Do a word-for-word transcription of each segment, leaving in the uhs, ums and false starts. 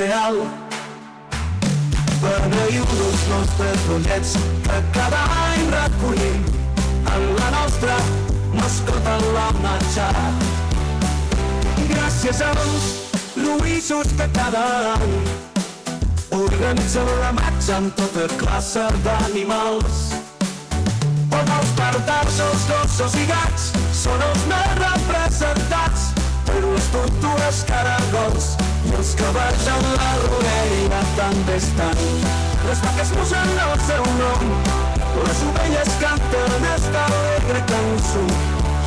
real. Beneïu els nostres rotllets que cada any recollim en la nostra mascota la marxa. Gràcies als Lluïsos que cada any organitzen la marxa amb tota classe d'animals. On els pardals, els gossos i gats són els més representats, però les tortugues, caragols i els cavalls en la rodalia també estan. Les vaques musen el seu nom, les ovelles canten esta alegre cançó,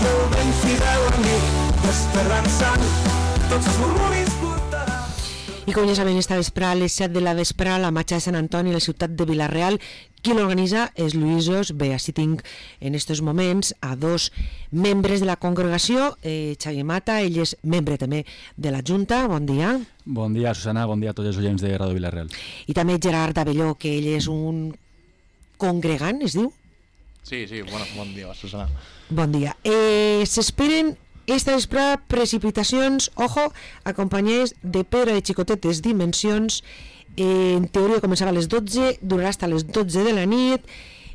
i el ben fidel amic esperançant tots els murmuris portarà. I com ja saben, esta vesprà a les set de la vesprà la marxa de Sant Antoni a la ciutat de Vila-real. Qui l'organitza és Lluïsos. Bé, així tinc en estos moments a dos membres de la congregació. eh, Xavier Mata, ell és membre també de la Junta. Bon dia. Bon dia, Susana, bon dia a tots els oients de Ràdio Vila-real. I també Gerard Abelló, que ell és un congregant, es diu? Sí, sí, bueno, bon dia, Susana. Bon dia. Eh, S'esperen esta vesprà precipitacions, ojo, acompanyades de pedra de xicotetes dimensions. Eh, en teoria començava a les dotze, durarà fins a les dotze de la nit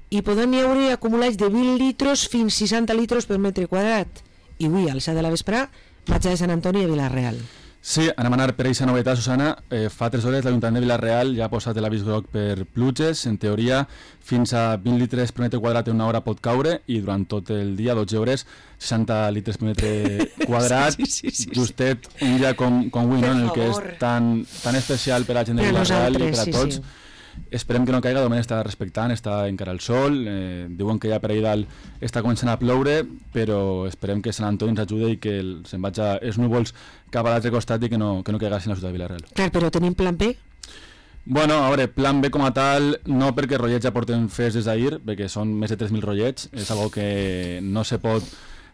i poden hi haver acumulats de vint litros fins seixanta litros per metre quadrat. I avui, al set de la vesprà, marxa de Sant Antoni a Vila-real. Sí, anem a anar per aquesta novetat, Susana. Eh, fa tres hores l'Ajuntament de Vila-real ja ha posat l'avís groc per pluges. En teoria, fins a vint litres per metre quadrat en una hora pot caure i durant tot el dia, dotze hores, seixanta litres per metre quadrat. sí, sí, sí, sí, justet sí. Un dia com, com avui, no? En el que és tan, tan especial per a la gent de Vila-real i per a tots. Sí, sí. Esperem que no caiga, de moment està respectant, està encara el sol, eh, diuen que ja per ahir dalt està començant a ploure, però esperem que Sant Antoni ens ajude i que el, se'n vagi els núvols cap a l'altre costat i que no, que no caigui a la ciutat de Vila-real. Clar, però tenim plan B? Bueno, a veure, plan B com a tal, no perquè rotllets ja porten fets des d'ahir, perquè són més de tres mil rotllets, és algo que no se pot...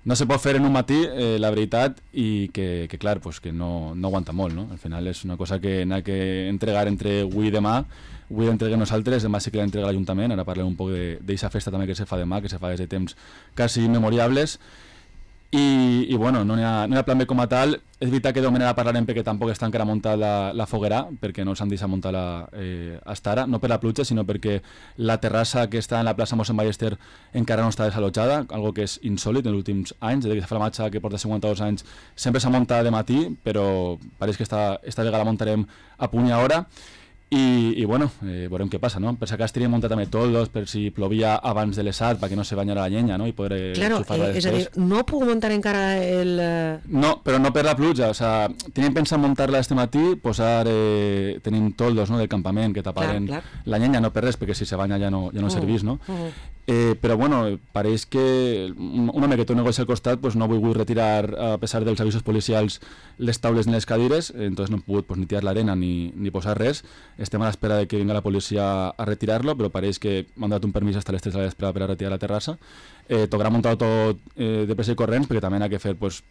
No se pot fer en un matí, eh, la veritat, i que, que clar, pues, que no, no aguanta molt, no? Al final és una cosa que n'ha que entregar entre avui i demà. Avui l'entreguem nosaltres, demà sí que l'entrega l'Ajuntament. Ara parlem un poc d'aquesta festa també que se fa demà, que se fa des de temps quasi immemoriables. I, i bueno, no hi ha, no hi ha plan B com a tal. És veritat que de moment ara parlarem perquè tampoc està encara muntada la, la foguera, perquè no s'han deixat muntar-la eh, hasta ara, no per la pluja, sinó perquè la terrassa que està en la plaça Mossèn Ballester encara no està desallotjada, algo que és insòlit en els últims anys, des que se fa la marxa que porta cinquanta-dos anys, sempre s'ha muntat de matí, però pareix que esta, esta vegada la muntarem a punt i a hora. I, i bueno, eh, veurem què passa, no? Per si acaso teníem muntat també toldos, per si plovia abans de les set, perquè no se banyara la llenya, no? I poder claro, xufar-la eh, després. És a dir, no puc muntar encara el... No, però no per la pluja, o sea, teníem pensat muntar-la este matí, posar, eh, tenim toldos, no?, del campament que taparen clar, clar. La llenya, no per res, perquè si se banya ja no, ja no uh, servís, no? Uh. Eh, però bueno, pareix que un home que té un negoci al costat pues, no ha volgut retirar, a pesar dels avisos policials, les taules ni les cadires, entonces no hem pogut pues, ni tirar l'arena ni, ni posar res. Estem a l'espera de que vinga la policia a retirar-lo, però pareix que m'han donat un permís fins a les tres de la vespre per a retirar la terrassa. Eh, tocarà muntar tot eh, de pressa i corrents, perquè també n'ha que fer pues,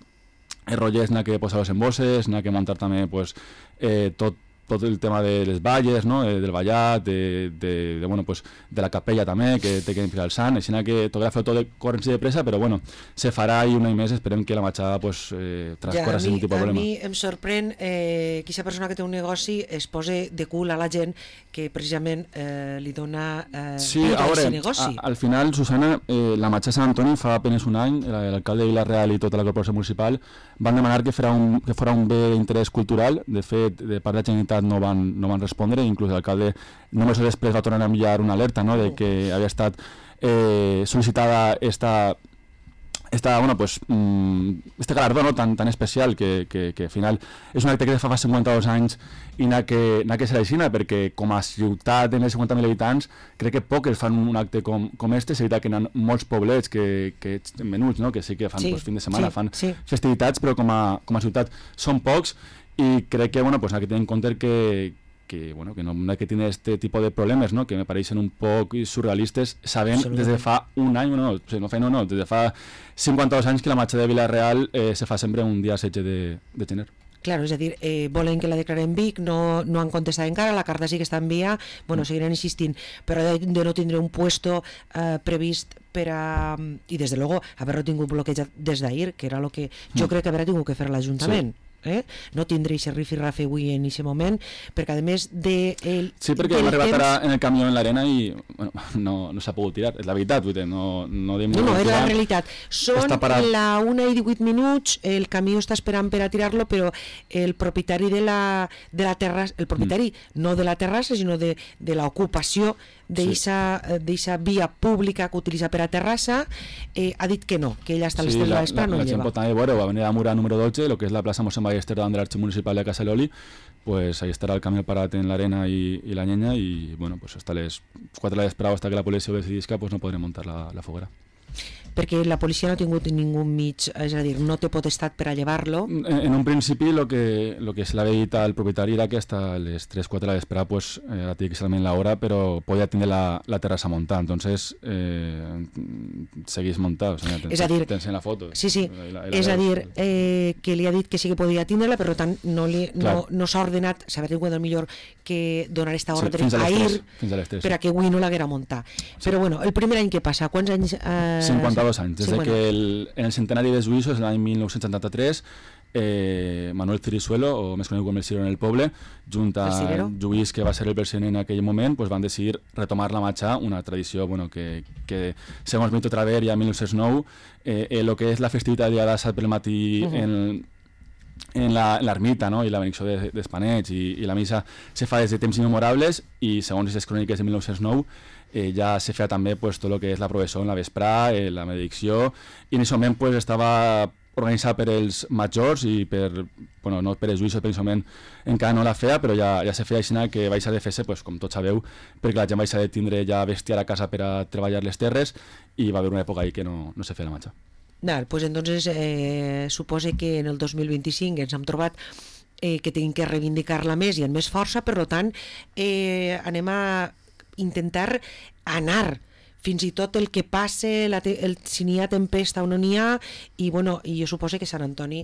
els rotllets, n'ha que posar els embosses, n'ha que muntar també pues, eh, tot tot el tema de les valles, no? eh, del ballat, de, de, de, bueno, pues, de la capella també, que té que ficar el sant, així que tocarà fer tot de corrents i de pressa, però bueno, se farà i un any més, esperem que la marxada pues, eh, transcorra ja, sense cap problema. A mi em sorprèn eh, que aquesta persona que té un negoci es pose de cul a la gent que precisament eh, li dona eh, sí, a veure, negoci. A, al final, Susana, eh, la marxa de Sant Antoni fa apenas un any, l'alcalde de Vila-real i tota la corporació municipal van demanar que fora un, que fora un bé d'interès cultural. De fet, de part de la Generalitat no van, no van respondre, inclús l'alcalde només després va tornar a enviar una alerta, no?, de que havia estat eh, sol·licitada esta, esta, bueno, pues, mm, este galardó, no?, tan, tan especial que, que, que al final és un acte que fa fa cinquanta-dos anys i n'ha que, n'ha que ser així, perquè com a ciutat de més de cinquanta mil habitants crec que pocs fan un acte com, com este. És veritat que hi ha molts poblets que, que menuts, no?, que sí que fan sí, pues, fin de setmana, sí, fan sí. festivitats, però com a, com a ciutat són pocs. I crec que, bueno, pues, hay que tener en cuenta que, que, bueno, que no hay que tener este tipo de problemas, ¿no?, que me parecen un poco surrealistes, saben desde fa un any, no, no, no, fa, no, no, desde fa cinquanta-dos anys que la marxa de Vila-real eh, se fa sempre un dia setze de, de gener. Claro, és a dir, eh, volen que la declaren Vic, no, no han contestat encara, la carta sí que està enviada, bueno, mm. seguiran insistint, però de, de no tindre un puesto eh, previst per a, i des de luego haver-lo tingut bloquejat des d'ahir, que era el que jo mm. crec que haurà tingut que fer l'Ajuntament. Sí. eh? No tindré aquest rifirrafe avui en aquest moment, perquè a més de... El, sí, perquè hem arribat temps... ara en el camió en l'arena i bueno, no, no s'ha pogut tirar, és la veritat, vull dir, no... No, no, no, és la realitat. Són la una i divuit minuts, el camió està esperant per a tirar-lo, però el propietari de la, de la terrassa, el propietari mm. no de la terrassa, sinó de, de l'ocupació d'eixa via pública que utilitza per a terrassa, eh, ha dit que no, que ella està a les tres de la vespre, no la lleva. La gent pot també veure, va venir a Mura número dotze, lo que és la plaça Mossèn Ballester davant de l'Arxiu Municipal de Casaloli, pues ahí estarà el camió parat en l'arena i, i la llenya i bueno, pues hasta les quatre de la vespre hasta que la policia ho decidisca, pues no podrem muntar la, la foguera. Perquè la policia no ha tingut ningú mig, és a dir, no té potestat per a llevar-lo. En, en un principi lo que, lo que se l'ha dit al propietari era que hasta les tres quatre de la vespre pues, eh, ara té que ser la hora, però podia tindre la, la terrassa muntada, entonces eh, seguís muntat, o sea, tens, és a dir, tens en la foto. Sí, sí, la, la, la és a dir, eh, que li ha dit que sí que podia tindre-la, però tant no, li, no, no s'ha ordenat, s'ha tingut el millor que donar esta ordre sí, a ir per a que avui no l'haguera muntar. Sí. Però bueno, el primer any que passa, quants anys... Eh, cinquanta-dos anys, des sí, de bueno. que el, en el centenari dels juïços, l'any mil nou-cents setanta-tres, eh, Manuel Cirisuelo, o més conegut com el Cirero en el poble, junt a Lluís, que va ser el president en aquell moment, pues van decidir retomar la marxa, una tradició bueno, que, que segons Mito Traver ja en mil nou-cents nou, eh, eh, lo que és la festivitat de dia de sábado pel matí uh -huh. en en l'ermita, no? I la benedicció d'Espanets i, i la missa se fa des de temps immemorables i segons les cròniques de mil nou-cents nou eh, ja se feia també pues, tot el que és la professó en la vesprà, eh, la benedicció i en aquest moment pues, estava organitzat per els majors i per, bueno, no per els juïços, per aquest moment encara no la feia, però ja, ja se feia així que vaig a de fer-se, pues, com tots sabeu, perquè la gent vaig a de tindre ja bestiar a casa per a treballar les terres i va haver una època ahí que no, no se feia la marxa. Nah, pues entonces eh, supose que en el dos mil vint-i-cinc ens hem trobat eh, que tenim que reivindicar-la més i amb més força, per tant eh, anem a intentar anar fins i tot el que passe, la te el, si n'hi ha tempesta o no n'hi ha, i bueno, i jo suposo que Sant Antoni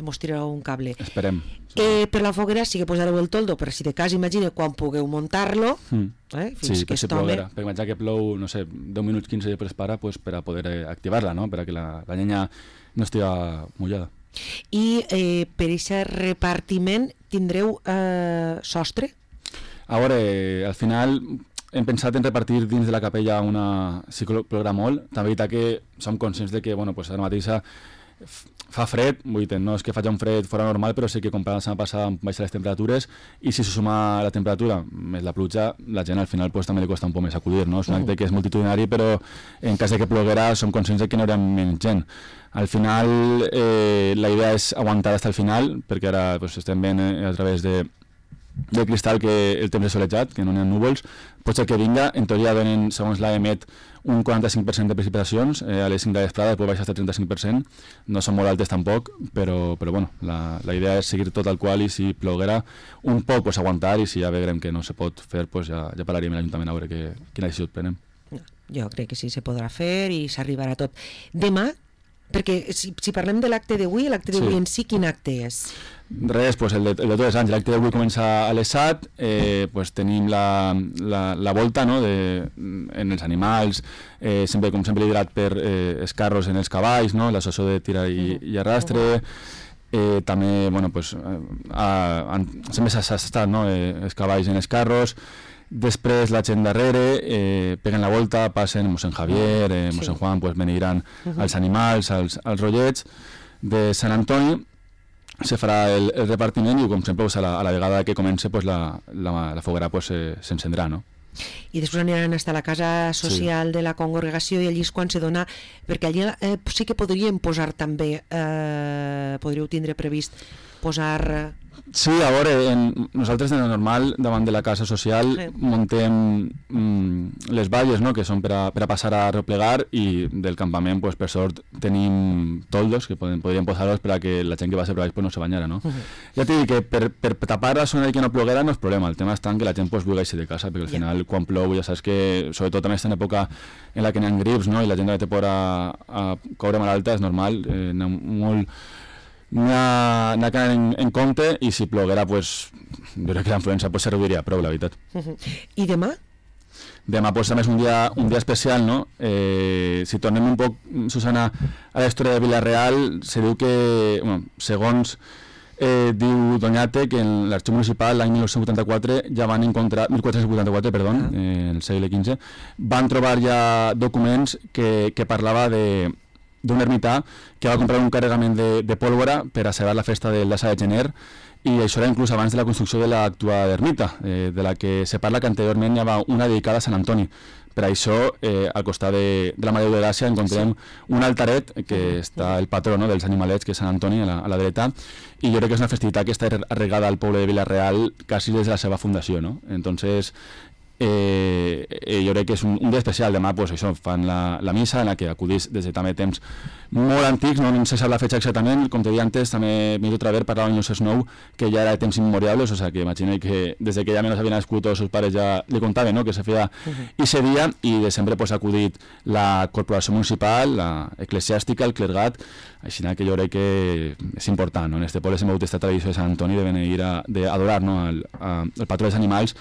mos tirarà un cable. Esperem. Eh, per la foguera sí que posareu el toldo, per si de cas imagine quan pugueu muntar-lo, mm. eh, fins sí, que si ploguera, perquè imaginar que plou, no sé, deu minuts, quinze després para, pues, per a poder eh, activar-la, no? Per a que la, la llenya no estiga mullada. I eh, per aquest repartiment tindreu eh, sostre? A veure, al final hem pensat en repartir dins de la capella una psicologa molt. També veritat que som conscients de que bueno, pues ara mateix fa fred, vull dir, no és que faci un fred fora normal, però sé que comparant la setmana passada baixen les temperatures i si se suma la temperatura més la pluja, la gent al final pues, també li costa un poc més acudir, no? És un acte que és multitudinari, però en cas de que ploguera som conscients de que no hi haurà menys gent. Al final eh, la idea és aguantar fins al final, perquè ara pues, estem veient eh, a través de de cristal que el temps és solejat, que no hi ha núvols, pot ser que vinga, en teoria donen, segons l'A E M E T, un quaranta-cinc per cent de precipitacions, eh, a les cinc de la vesprada pot baixar fins al trenta-cinc per cent, no són molt altes tampoc, però, però bueno, la, la idea és seguir tot el qual i si ploguera un poc, pues, aguantar, i si ja veurem que no se pot fer, pues, ja, ja parlaríem a l'Ajuntament a veure que, quina decisió prenem. Jo crec que sí, se podrà fer i s'arribarà tot. Demà, perquè si, si parlem de l'acte d'avui, l'acte d'avui sí. en si, quin acte és? Res, pues el de, el de tots els anys, l'acte d'avui comença a les set, eh, pues tenim la, la, la volta no, de, en els animals, eh, sempre, com sempre liderat per eh, els carros en els cavalls, no, l'associació de tira i, i arrastre, eh, també, bueno, pues, a, a, sempre s'ha estat, no, eh, els cavalls en els carros, després la gent darrere, eh, peguen la volta, passen mossèn Javier, eh, mossèn sí. Juan, pues beneiran uh -huh. els animals, els, els rotllets de Sant Antoni, se farà el, el repartiment i com sempre pues, a, la, a la vegada que comença pues, la, la, la foguera pues, s'encendrà, no? I després aniran a la casa social sí. de la congregació i allí és quan se dona, perquè allí eh, sí que podríem posar també, eh, podríeu tindre previst posar... Sí, a veure, en, nosaltres de normal davant de la casa social sí. muntem mm, les valles, no?, que són per a, per a passar a replegar, i del campament, pues, per sort, tenim toldos que poden, podríem posar-los per a que la gent que va ser per baix pues, no se banyara, no? Uh -huh. Ja t'he dit que per, per tapar la zona de que no ploguera no és problema, el tema està en que la gent pues, vulgui eixir de casa, perquè al final yeah. quan plou ja saps que, sobretot també està en època en la que n'hi ha grips, no?, i la gent té por a, a caure malalta, és normal, eh, n'hi ha molt... n'hi ha, ha que anar en, en compte, i si ploguera, pues, jo crec que la influença pues, serviria prou, la veritat. Uh -huh. I demà? Demà pues, també és un dia, un dia especial, no? Eh, si tornem un poc, Susana, a la història de Vila-real, se diu que, bueno, segons Eh, diu Doñate que en l'arxiu municipal l'any mil nou-cents vuitanta-quatre ja van encontrar, mil quatre-cents vuitanta-quatre, perdó, uh -huh. eh, en el segle quinze, van trobar ja documents que, que parlava de d'un ermità que va comprar un carregament de, de pólvora per a celebrar la festa del dassa de gener, i això era inclús abans de la construcció de l'actual ermita, eh, de la que se parla que anteriorment hi havia una dedicada a Sant Antoni. Per això, eh, al costat de, de la Mare de Gràcia encontrem sí. un altaret que està el patró, no?, dels animalets, que és Sant Antoni, a la, a la dreta, i jo crec que és una festivitat que està arregada al poble de Vila-real quasi des de la seva fundació, no? Entonces, eh, eh, jo crec que és un, un dia especial. Demà pues, això, fan la, la missa en la que acudís des de també temps molt antics, no, no se sap la fetxa exactament, com te deia antes, també Mito Traver parlava en els nou que ja era de temps immemorials, o sea que imagino que des de que ja menys havien nascut tots els pares ja li contaven, no?, que se feia uh-huh. i se dia, i de sempre pues, ha acudit la corporació municipal, la eclesiàstica, el clergat, així que jo crec que és important, no? En este poble s'ha mogut aquesta tradició de Sant Antoni de venir a de adorar, no?, el, a, el patró dels animals,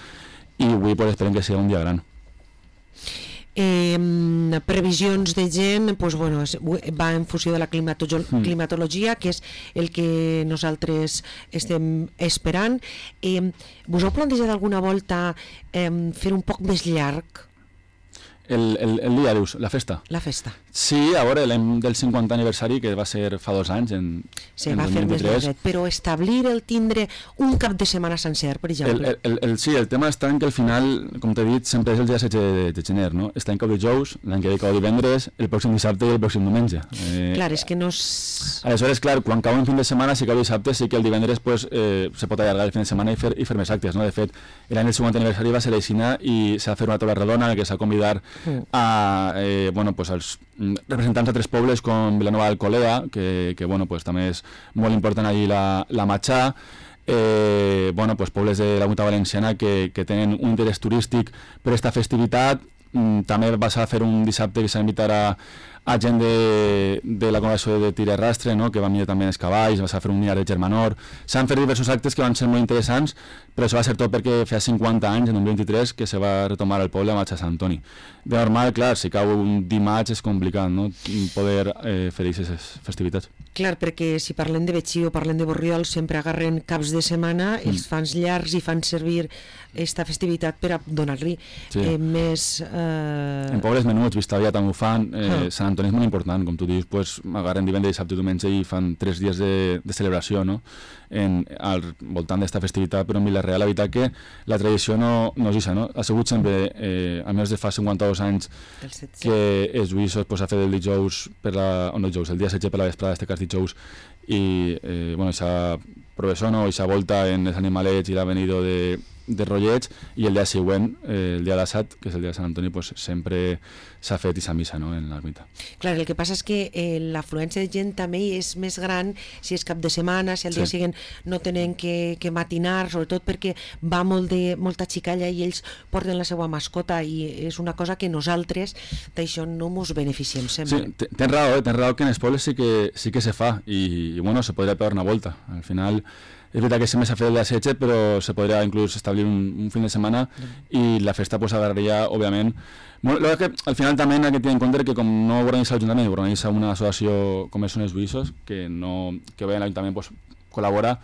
i avui pues, esperem que sigui un dia gran. Eh, previsions de gent, pues, bueno, va en funció de la climatolo- mm. climatologia, que és el que nosaltres estem esperant. Eh, vos heu plantejat alguna volta eh, fer un poc més llarg El, el, el dia, dius, la festa? La festa. Sí, a veure, l'any del cinquanta aniversari, que va ser fa dos anys, en, Se en va dos fer mil més vint-i-tres. llarg, però establir el tindre un cap de setmana sencer, per exemple. El, el, el, sí, el tema està en que al final, com t'he dit, sempre és el dia setze de, de gener, no? Està en cau dijous, l'any que ve cau divendres, el pròxim dissabte i el pròxim diumenge. Eh, clar, és que no és... Aleshores, clar, quan cau un fin de setmana, si cau dissabte, sí que el divendres pues, eh, se pot allargar el fin de setmana i fer, i fer més actes, no? De fet, l'any del cinquanta aniversari va ser l'Eixina i s'ha fet una taula redona en la que s'ha convidat mm. a Eh, bueno, pues als representants de tres pobles com Vilanova d'Alcolea, que, que bueno, pues, també és molt important allí la, la Matxà, eh, bueno, pues, pobles de la Comunitat Valenciana que, que tenen un interès turístic per aquesta festivitat. Mm, també vas a fer un dissabte que s'ha invitat a, a gent de, de la congregació de tir i arrastre, no?, que va mirar també els cavalls, vas a fer un mirar de Germanor. S'han fet diversos actes que van ser molt interessants, però això va ser tot perquè feia cinquanta anys, en un vint-i-tres, que se va retomar el poble a Matxà Sant Antoni. De normal, clar, si cau un dimarts és complicat, no?, poder eh, fer aquestes festivitats. Clar, perquè si parlem de Betxí o parlem de Borriol sempre agarren caps de setmana, mm. els fan llargs i fan servir aquesta festivitat per a donar-li sí. eh, més... Eh... En pobles menuts, Vistavia també ho fan, eh, ah. Sant Antoni és molt important, com tu dius, pues, agarren divendres, dissabte i diumenge i fan tres dies de, de celebració, no?, en, al voltant d'esta festivitat, però en Vila-real la veritat que la tradició no, no és això, no? Ha sigut sempre, eh, almenys de fa cinquanta-dos anys, que els juïssos pues, ha fet el dijous, per la, o no dijous, el dia setze per la vesprada, este cas dijous, i eh, bueno, aquesta professó, no? Aquesta volta en els animalets i l'avenido de, de Rollets, i el dia següent, eh, el dia d'Assat, que és el dia de Sant Antoni, pues, sempre s'ha fet aquesta missa, no?, en l'ermita. Clar, el que passa és que eh, l'afluència de gent també és més gran si és cap de setmana, si al sí. dia següent no tenen que, que matinar, sobretot perquè va molt de, molta xicalla i ells porten la seva mascota, i és una cosa que nosaltres d'això no ens beneficiem sempre. Sí, tens raó, eh? tens raó que en els pobles sí que, sí que se fa, i, i bueno, se podria pegar una volta. Al final és veritat que sempre s'ha fet el dia setze, però se podria inclús establir un, un fin de setmana i la festa pues, agarraria, òbviament. Bueno, que al final també hay que tenir en compte que com no ho organitza l'Ajuntament, ho organitza una associació com són els Buïssos, que, no, que bé l'Ajuntament pues, col·labora.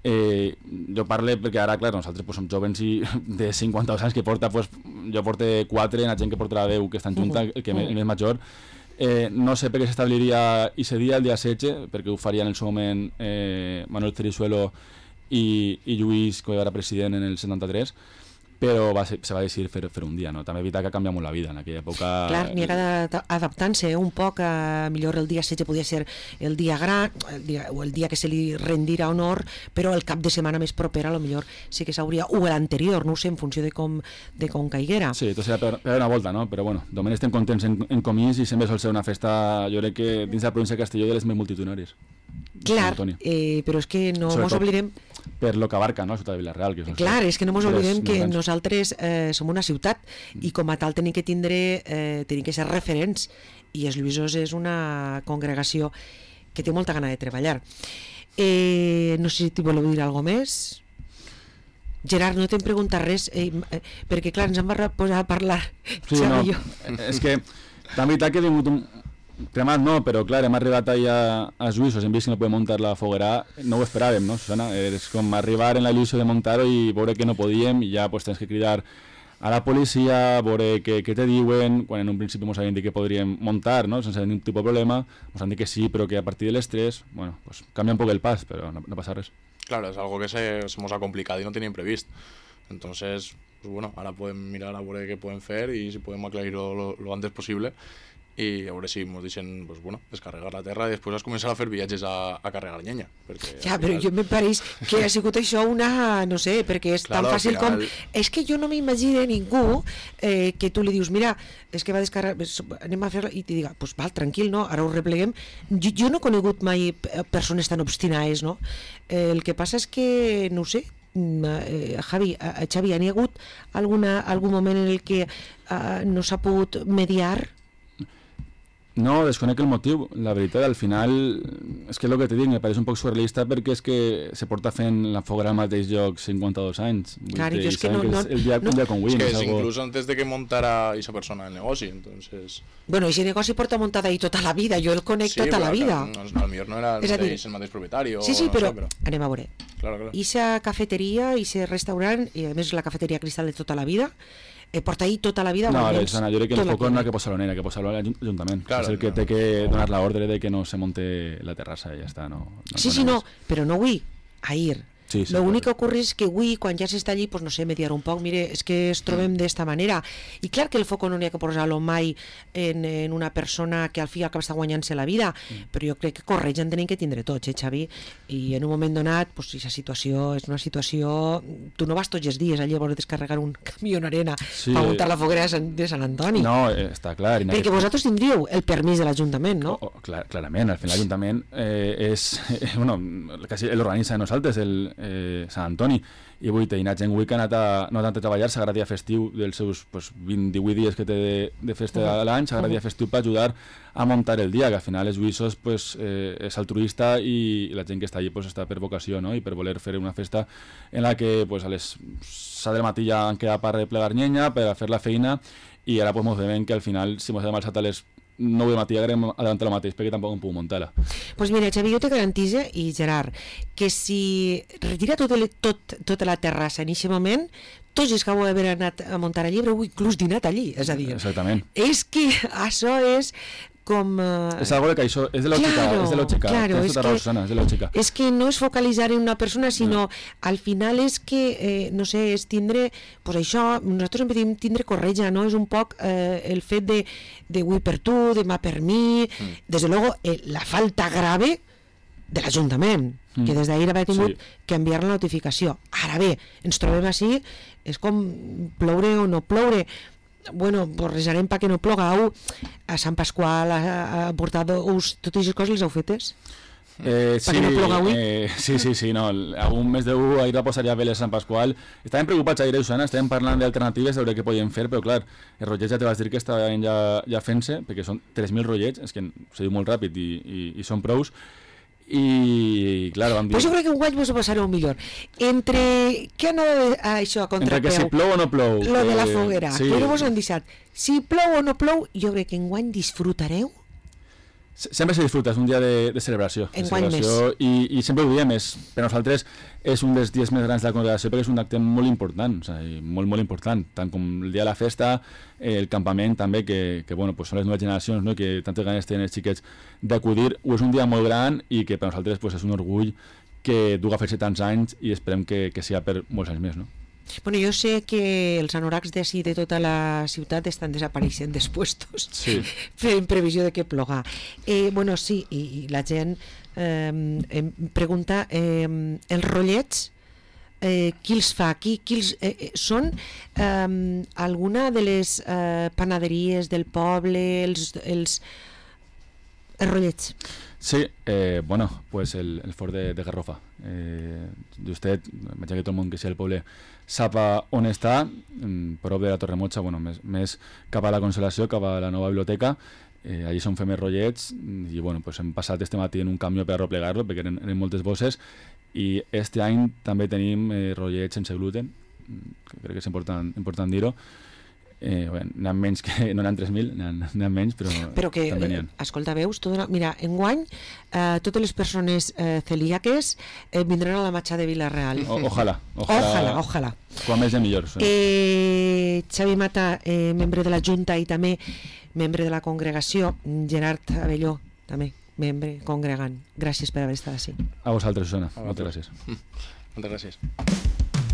Eh, jo parlo perquè ara, clar, nosaltres pues, som jovens i de cinquanta anys que porta, pues, jo porto quatre, la gent que portarà deu que estan junta, el que uh-huh. el més major. Eh, no sé per què s'establiria aquest dia, el dia setze, perquè ho faria en el seu moment eh, Manuel Cerizuelo i, i Lluís, que era president en el setanta-tres, però va ser, se va decidir fer, fer un dia, no? També evitar que canvia molt la vida en aquella època. Clar, n'hi ha que adaptant-se un poc, a, millor el dia setze podia ser el dia gran, el dia, o el dia que se li rendirà honor, però el cap de setmana més proper a lo millor sí que s'hauria, o l'anterior, no ho sé, en funció de com, de com caiguera. Sí, tot serà per, per una volta, no? Però bueno, només estem contents en, en Comís i sempre sol ser una festa, jo crec que dins de la província de Castelló, de les més multitudinàries. Clar, eh, però és que no ens oblidem per lo que abarca, no?, la ciutat de Vila-real. Que clar, és que no ens oblidem que grans. Nosaltres eh, som una ciutat i com a tal tenim que tindre, eh, tenim que ser referents, i els Lluïsos és una congregació que té molta gana de treballar. Eh, no sé si t'hi voleu dir alguna cosa més. Gerard, no t'hem preguntat res, eh, eh, perquè clar, ens hem posat a parlar. Sí, no, és que també veritat que he vingut un, Cremat no, però clar, hem arribat allà a Suïssos, hem vist que no podem muntar la foguera, no ho esperàvem, no, Susana? És com arribar en la il·lusió de muntar-ho i veure que no podíem i ja pues, tens que cridar a la policia, veure què, què te diuen, quan en un principi ens havien dit que podríem muntar, no? Sense ningún tipus de problema, ens han dit que sí, però que a partir de les tres, bueno, pues canvia un poc el pas, però no, no passa res. Claro, es algo que se, se nos ha complicado y no tenían previsto. Entonces, pues bueno, ahora pueden mirar a ver qué pueden hacer y si podemos aclarirlo lo, lo antes posible. I a veure si ens deixen pues, bueno, descarregar la terra i després es començar a fer viatges a, a carregar llenya. Perquè, ja, però jo me pareix que ha sigut això una... no sé, perquè és claro, tan fàcil final... com... És que jo no m'imagino ningú eh, que tu li dius, mira, és que va descarregar... anem a fer-la, i te diga, pues val, tranquil, no? Ara ho repleguem. Jo, jo no he conegut mai persones tan obstinades, no? Eh, el que passa és que, no ho sé, eh, Javi, eh, Xavi, n'hi ha hagut alguna, algun moment en el que eh, no s'ha pogut mediar? No, desconec el motiu. La veritat, al final, és que el que t'he dit, me pareix un poc surrealista perquè és que se porta fent la foguera al mateix lloc cinquanta-dos anys. Claro, yo es que no... Que no, el dia, no un dia con Win. Es que es es algo... incluso antes de que montara esa persona el negocio, entonces... Bueno, ese negoci porta muntat ahí tota la vida, jo el conec sí, tota la vida. Sí, però al millor no era el és mateix, el mateix propietari. Sí, sí, no però, sé, però anem a veure. Claro, claro. Esa cafeteria, ese restaurant, i a més la cafeteria Cristal de tota la vida, eh, porta ahí tota la vida... No, almenys, Susana, jo crec que el tot foc no l'any. ha que posar-lo en ella, que posar-lo a l'Ajuntament. Claro, és el que no. té que donar la ordre de que no se monte la terrassa i ja està. No, no Sí, sí, no, però no avui, ahir. Sí, sí, Lo únic que correcte. ocurre és que avui, quan ja s'està allí, pues no sé, mediar un poc, mire, és que es trobem d'esta manera. I clar que el foco no n'hi ha que posar-lo mai en, en una persona que al fi i al cap està guanyant-se la vida, mm. però jo crec que corregen tenim que tindre tots, eh, Xavi? I en un moment donat, pues, si la situació és una situació... Tu no vas tots els dies allà a veure descarregar un camió en arena Sí. per muntar la foguera de Sant, de Sant Antoni. No, eh, està clar. i en Perquè aquest- vosaltres tindríeu el permís de l'Ajuntament, no? Oh, oh, clar, clarament, al final l'Ajuntament eh, és, eh, bueno, quasi l'organitza de nosaltres, el eh, Sant Antoni, i avui hi ha gent avui que ha anat a, no ha anat a treballar, s'agrada dia festiu dels seus pues, vint, divuit dies que té de, de festa Uh-huh. a l'any, s'agrada dia festiu per ajudar a muntar el dia, que al final els Suïssos pues, eh, és altruista i, i la gent que està allí pues, està per vocació, no? I per voler fer una festa en la que pues, a les set del matí ja han quedat per replegar llenya, per a fer la feina, i ara pues, mos veiem que al final si mos hem alçat a les nou del matí agarrem adelantar la mateix perquè tampoc em puc muntar-la. Pues mira, Xavi, jo te garantise, i Gerard, que si retira tot el, tot, tota la terrassa en aquest moment, tots els que heu d'haver anat a muntar allí haureu inclús dinat allí, és a dir, Exactament. és que això és com... Uh... És algo que això és de lògica, Claro, és de lògica, claro, tens és tota raó, que- Susana, és de lògica. És que no és focalitzar en una persona, sinó al final és que, eh, no sé, és tindre, pues això, nosaltres sempre diem tindre corretja, no? És un poc eh, el fet de, de avui per tu, demà per mi, Mm. desde luego eh, la falta grave de l'Ajuntament, Mm. que des d'ahir haver tingut Sí. que enviar la notificació. Ara bé, ens trobem així, és com ploure o no ploure. Bueno, pues resarem perquè no plogau. A Sant Pasqual ha, ha portat us, totes aquestes coses les heu fetes? Eh, sí, Perquè no ploga avui? eh, sí, sí, sí, no, el- algun mes d'u ahir va posar ja veles Sant Pasqual. Estàvem preocupats ahir, Susana, estàvem parlant d'alternatives, de veure què podíem fer, però clar, els rotllets ja te vas dir que estaven ja, ja fent-se, perquè són tres mil rotllets, és que se diu molt ràpid i, i, i són prous, i clar, vam dir... Pues jo crec que un guany vos ho passareu millor. Entre... Què anava de, a això a Entre que si contrapeu? plou o no plou. Lo de la eh, foguera. sí. Però vos han deixat. Si plou o no plou, jo crec que enguany disfrutareu. Se- Sempre se disfruta, és un dia de, de celebració. De Enguany celebració i, I sempre ho diem, és, per nosaltres és un dels dies més grans de la congregació perquè és un acte molt important, o sigui, molt, molt important, tant com el dia de la festa, eh, el campament també, que, que bueno, pues són les noves generacions, no? Que tantes ganes tenen els xiquets d'acudir, ho és un dia molt gran i que per nosaltres pues, és un orgull que duga a fer-se tants anys i esperem que, que sigui per molts anys més, no? Bueno, jo sé que els anoracs d'ací de tota la ciutat estan desapareixent dels puestos Sí. en previsió de que ploga. Eh, bueno, sí, i, i la gent eh, em pregunta eh, els rotllets eh, qui els fa? Qui, qui els, eh, eh, són eh, alguna de les eh, panaderies del poble, els, els, els rotllets? Sí, eh, bueno, pues el, el fort de, de Garrofa. Eh, Justet, veig que tot el món que sigui el poble sap a on està, mm, prop de la Torremotxa, bueno, més, més cap a la Consolació, cap a la nova biblioteca. Eh, allí són fem els rotllets i bueno, pues hem passat este matí en un camió per arroplegar-lo perquè eren, eren moltes bosses i este any també tenim eh, rotllets sense gluten, que crec que és important, important dir-ho. Eh, bueno, n'hi ha menys que... No n'hi ha tres mil, n'hi ha menys, però, però que, també n'hi ha. eh, escolta, veus, tot una... mira, enguany eh, totes les persones eh, celíaques eh, vindran a la matxa de Vila-real. O, ojalà, ojalà. Ojalà, ojalà. Quan més de millor. Sí. Eh, Xavi Mata, eh, membre de la Junta i també membre de la congregació, Gerard Abelló, també membre congregant. Gràcies per haver estat així. A vosaltres, Susana. Moltes gràcies. Moltes gràcies.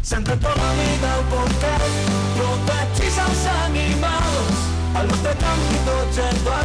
Sempre torna a mi del